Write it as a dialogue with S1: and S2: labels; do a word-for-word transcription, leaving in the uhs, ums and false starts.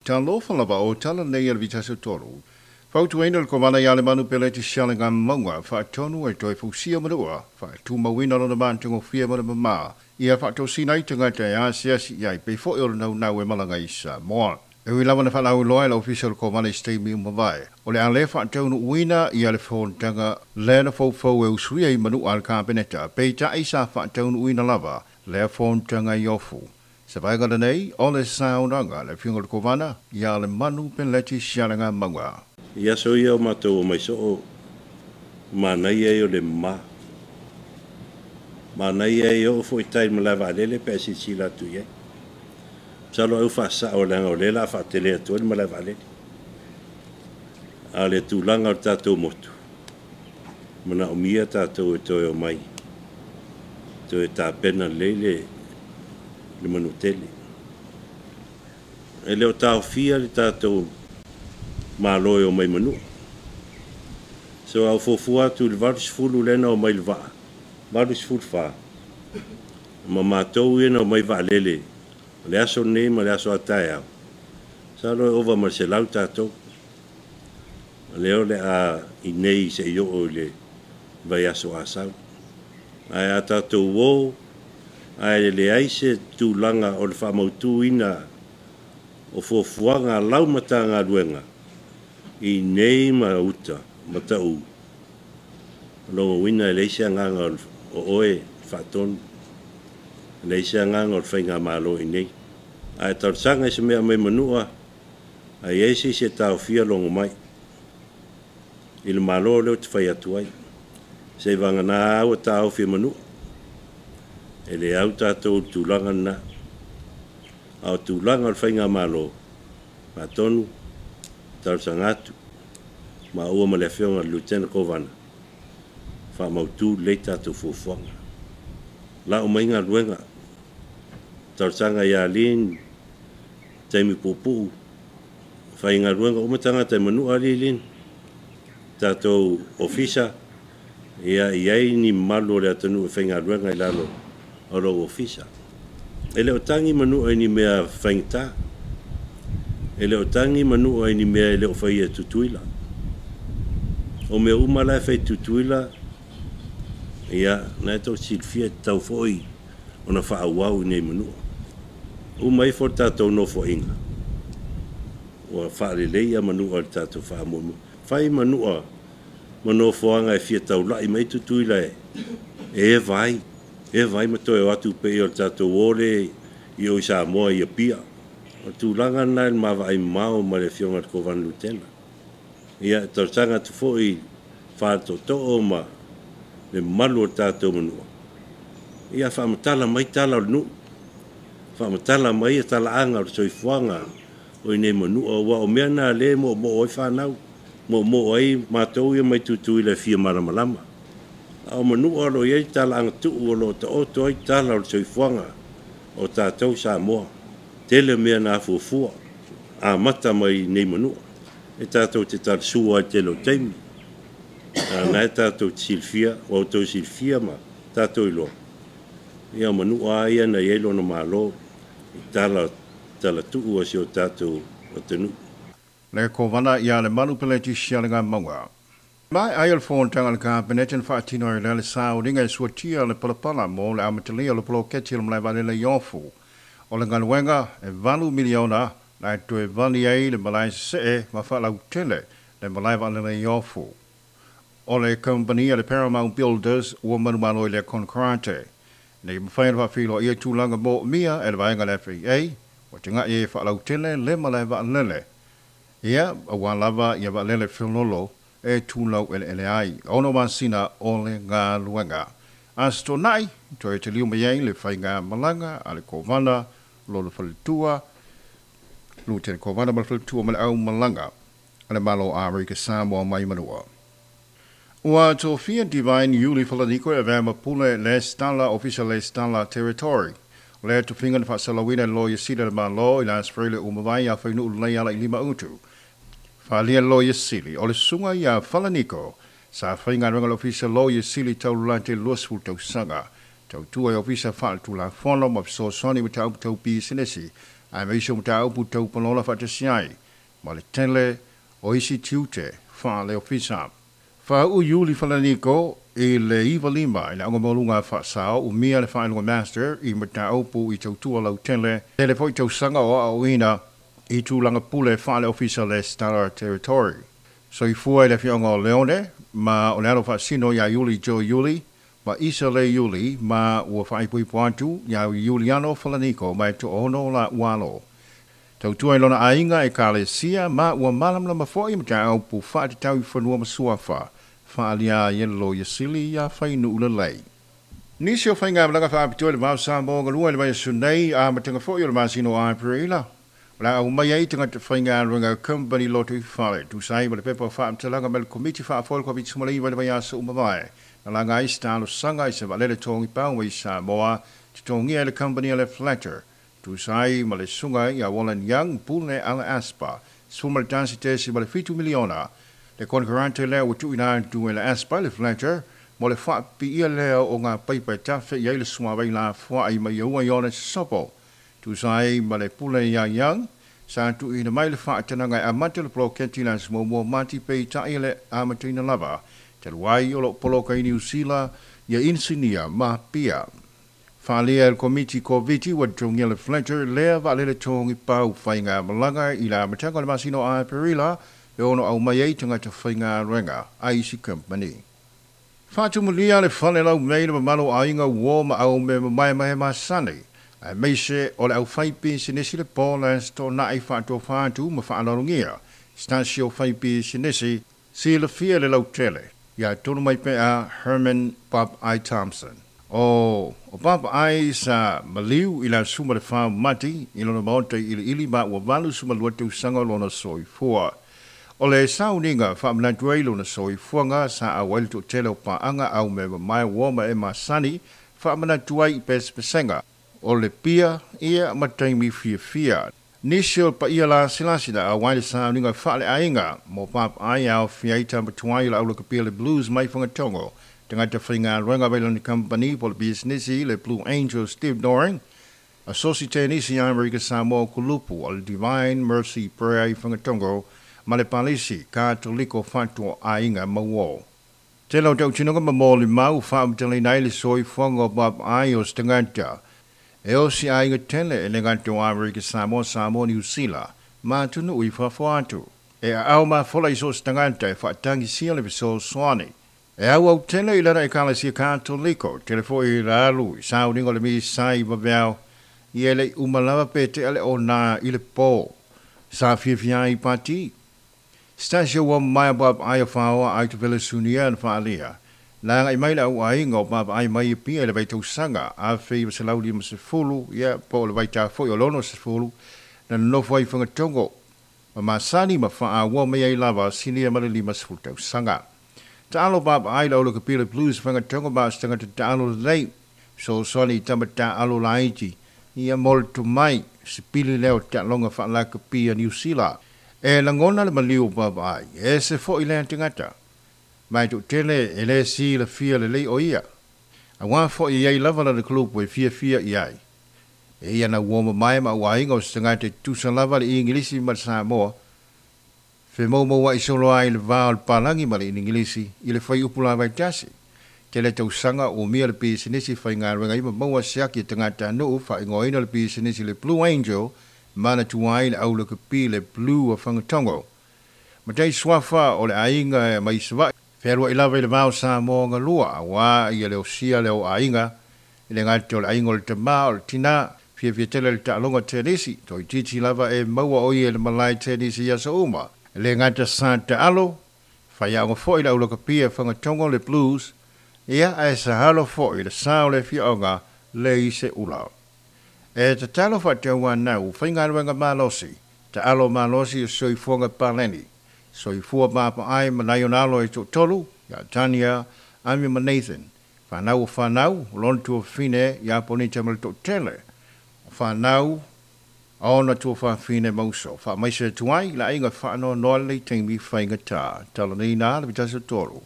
S1: Talofa lava o tala nei a le Vitasa Tolu. Fautuaina le Kovana ia Lemanu Peleti Sialegamauga faatonu e toe fausia Manua, faatumauina lona matagofie ma le mamā, ia faatosina ai tagata e asiasi i ai pei foi o le naunau e malaga i Samoa. E ui lava na faalauiloa e le Ofisa o le Kovana i se taimi ua mavae, o le a le faataunuuina ia le fonotaga lea na foufou e usuia i Manua a le Kapeneta, peitai sa faataunuuina lava lea fonotaga i Ofu. Se vaega lenei o le saunoaga a le Afioga i le Kovana ia Lemanu Peleti Sialegamauga.
S2: I aso ia o matou omai soo, manaia ia o le mama. Manaia ia oo foi i tai i le malae vaalele pe a silasila atu i ai. Masalo ai ua faasao leaga o lea o le a faatele atu ai le malae vaalele. A o le tulaga o le tatou motu, manaomia tatou e toe omai, toe tapena lelei le le manutele. E le o taofia le tatou Malo e omai Manua. So a ou fuafua atu i le valu sefulu lea na omai i le vaa, valu sefulu fa, ma matou ia na omai vaalele o le aso lenei ma le aso a taeao, masalo e ova ma le selau tatou. O lea o le a i inei se i oo i le vaiaso a sau. Ae a tatou o ae leai se tulaga o le faamautuina o fuafuaga a lau Matagaluega i inei ma uta ma Taʻu, o lona uiga e leai se agaga o oe faatonu, e leai se agaga o le faigamalo i inei. A e talosaga i se mea mai Manua, a i ai se isi e taofia logo mai i le Malo lea ou te fai atu ai, seivagana ua taofi e Manua. E le au tatou i le tulaga lena. A o tulaga o le faigamalo, faatonu, talosaga atu maua ma le Afioga i le Lieutenant Kovana, faamautu lelei tatou fuafuaga. Lau mai galuega, talosaga ia Lin, taimi puupuu, faigaluega uma tagata e Manua alii Lin, tatou ofisa, ia i ai ni mamalu o le atunuu e faigaluega i lalo o lou ofisa. E le o tagi Manua i ni mea faigata. E le o tagi Manua i ni mea e le o faia e Tutuila. O mea uma la e fai e Tutuila, ia, na e tou silafia e tatau foi ona faaauau i nei Manua. Uma ifo le tatou nofoaiga, ua faaleleia Manua i le tatou faamoemoe. Fai Manua ma nofoaga e fia taulai mai Tutuila e eva ai, eva ai ma toe o atu pei o le tatou o lea i o i Samoa i Apia. O le tulaga lena i le ma vaai mamao ma le Afioga i le Kovana Lutena. Ia, e talosaga atu foi i faletootoo ma le mamalu o le tatou Manua, ia faamatala mai tala o le nuu, faamatala mai talaaga o le soifuaga o i nei Manua, aua o mea na lea e moomoo ai fanau, moomoo ai matou ia mai Tutuila e fia malamalama. A o Manua o lo o i ai talaaga tuu o lo o taoto ai tala o le soifuaga o tatou Samoa. Tele mea na afuafua amata mai i nei Manua. E tatou te talasua ai i le tele o taimi. A na e tatou te silafia, ua outou silafia ma tatou iloa, ia o Manua lava ia na i ai lona Malo i tala, talatuu a si o tatou atunuu.
S1: Le Kovana ia Lemanu Peleti Sialegamauga. Maea ai o le fonotaga a le Kapeneta na faatino ai lea le sauniga e suatia le palapala mo le amatalia o le poloketi o le malae vaalele i Ofu. O le galuega e valu miliona na e toe vali ai le malae sesee ma faalautele le malae vaalele i Ofu. O le kamupani a le Paramount Builders ua manumalo i lea konekarate. Ina ia mafai ona faafeiloaia tulaga moomia e le vaega a le F A A, ua tegai ai e faalautele le malae vaalele. Ia, aua lava ia vaalele feololo e tulau eleele ai. Ono masina o le galuega. Aso Toonai, toe taliu mai ai le faiga malaga a le Kovana lona faletua, Lutene Kovana ma le faletua ma le au malaga a le Malo o Amerika Samoa mai Manua. Ua tofia Divine Iuli Falaniko e avea ma pule Lesitala, Ofisa Lesitala Territory. O lea tofiga na faasalauina e le Loia Sili a le Malo i le Aso Faraile ua mavae ia Fainuu lelei ala i lima utu. Faaalia le Loia Sili o le susuga ia Falaniko sa faigaluega le Ofisa Loia Sili taulolate i le luasefulu tausaga. Tautua i Ofisa Faaletulafono ma fesoasoani mataupu tau pisinisi Ae maise o mataupu tau palola faatasi ai ma le tele o isi tiute faaleofisa. Faauu Iuli Falaniko i le iva lima i le augamauluga faasao umia le faailoga master i mataupu i tautua lautele tele foi tausaga o aoaoina i tulaga pule faaleofisa le Stella Territory. Soifua i le afioaga o Leone ma o le alo faasino iā Iuli Joe Iuli ma Isa le Iuli ma ua faaipoipo atu iā Iuliano Falaniko ma e toono la ualo. Tautua i lona aiga e kalesia ma ua malamalama foi mataupu faatatau i fanua ma suafa faaalia ai e le Loia Sili iā Fainuu lelei. Nisi o faigamalaga faapitoa i le vao Samoa galua i le vaiaso nei amataga foi o le masina o Aperila. O le a aumai ai tagata faigaluega company loto i fale tusa ai ma le pepa o faamatalaga mai le Komiti Faafoe o le Koviti sefuluiva i le vaiaso uma mavae. Na laga ai se talosaga i se vaalele togi pau mai Samoa totogia e le company a le Fletcher tusa ai ma le susuga ia Wallen Young pule ala ASPA sefulu ma le tasi tesi ma le fitu miliona. Le konekarate lea ua tuuina atu e le ASPA le Fletcher mo le faapipiia lea o ngā paipa e tafe i ai le suavai lafoai mai ua i ona sopo. Tusa ai ma le pule ia Young, sa tuuina mai le faatanaga e amata le poloketi le aso muamua Mati peitai le amataina lava. Talu ai o loo poloka i Niu Sila ia inisinia ma pia. Faaalia e le Komiti Koviti ua totogia le Fletcher lea vaalele togi pau faigamalaga i le amataga o le masina o Aperila e ono aumai ai tagata faigaluega a isi kamupani. Faatumulia le fale laumei le mamalu o aiga uō ma aume mamaemae masani. Aemaise o le aufaipisinisi le Paul Toonai faatofa atu ma faaaloalogia. Stasi o faipisinisi silafia le lautele. Ia tonu mai pea Herman Bob I. Thompson. O, o Bob I sa maliu i le aso ma le fa Mati i lona maota i iliili ma ua valu sefulumalua tausaga o lona soifua. O le sauniga faamanatu ai lona soifuaga sa auai le toatele o paaga au me mamae ua ma e masani faamanatu ai i pesepesega. O le pia ia ma taimi fiafia. Nisi o paia lasilasi na auai le sauniga faaleaiga mo Bob I aofia ai tamatuai o le aulakapia le Blues mai Fagatogo. Tagata faigaluega mai lona company po le pisinisi le Blue Angel Steve Doring. Asosi Tenisi Amerika Samoa Kulupu o le Divine Mercy Prayer i Fagatogo ma le Palisi Katoliko Fatua Aiga Mauo. Tele o tautinoga ma molimau faamatalaina ai le soifuaga o Bob I o se tagata. E osi aiga tele e le gata o Amerika Samoa, Samoa, Niu Sila, ma atunuu i fafo atu. E aao mafola i so o se tagata e faatagisia le fesoasoani. E auau tele i lana ekalesia Katoliko, tele foi i le alu i sauniga o le misa i vaveao, ia e le'i uma lava pe tea le ona i le pō. Sa fiafia ai i pati. Stasio ua mamae Bob I o faoa ai tupele sunia na faalia. Na agai mai le au aiga o Bob I mai Apia i le vaitausaga afe iva selau lima sefulu, ia po o le vaitafo'i o lono sefulu, na nonofo ai i Fagatogo. Ma masani ma faaauau mai ai lava sinia ma le lima sefulu tausaga. Taalo Bob I le aulakapia le Blues Fagatogo ma o se tagata taalo lelei. Fesoasoani i tama taaalo laiti. Ia mo le tomai sipili lea o taaloga faalakapia Niu Sila. E lagona le maliu o Bob I, e ese foi lea tagata. Ma e toatele e le silafia lelei o ia. Auā foi e i ai lava lana kulupu e fiafia i ai. E ia na uo mamae ma au aiga o se tagata e tutusa lava le Igilisi ma le Samoa. Femoumoua'i solo ai le va o le palagi ma le Inigilisi i le fuaiupu lavaitasi. Tele tausaga ua umia le pisinisi faigaluega ai ma maua se aki e tagatanuu faaigoaina le pisinisi le Blue Angel manatua ai le aulakapi le Blue o Fagatogo. Matai suafa o le aiga mai Savaii. Fealuai lava i le va o Samoa galua auā ia le osia lea o aiga i le gata o le aiga o le tamā o le tinā. Fiafia tele i le taaloga tenisi, toeitiiti lava e maua o ia i le malae tenisi i aso uma. E le gata sa taalo, faiaoga foi le aulakapia Fagatogo le Blues, ia ae sa alo foi i le sa o le afioaga le Iseula. E tatalo faatauanau faigaluega malosi, taalo malosi o soifuaga paleni. Soifua papaai ma nai ona alo e toatolu, ia Tania, Amy ma Nathan. Fanau o fanau, o lona tuafafine ia Ponita ma le toatele. O fanau a ona tuafafine ma uso. Faamaise atu ai le aiga faanoanoa lenei taimi faigatā. Talanoaina le vitasi o tolu.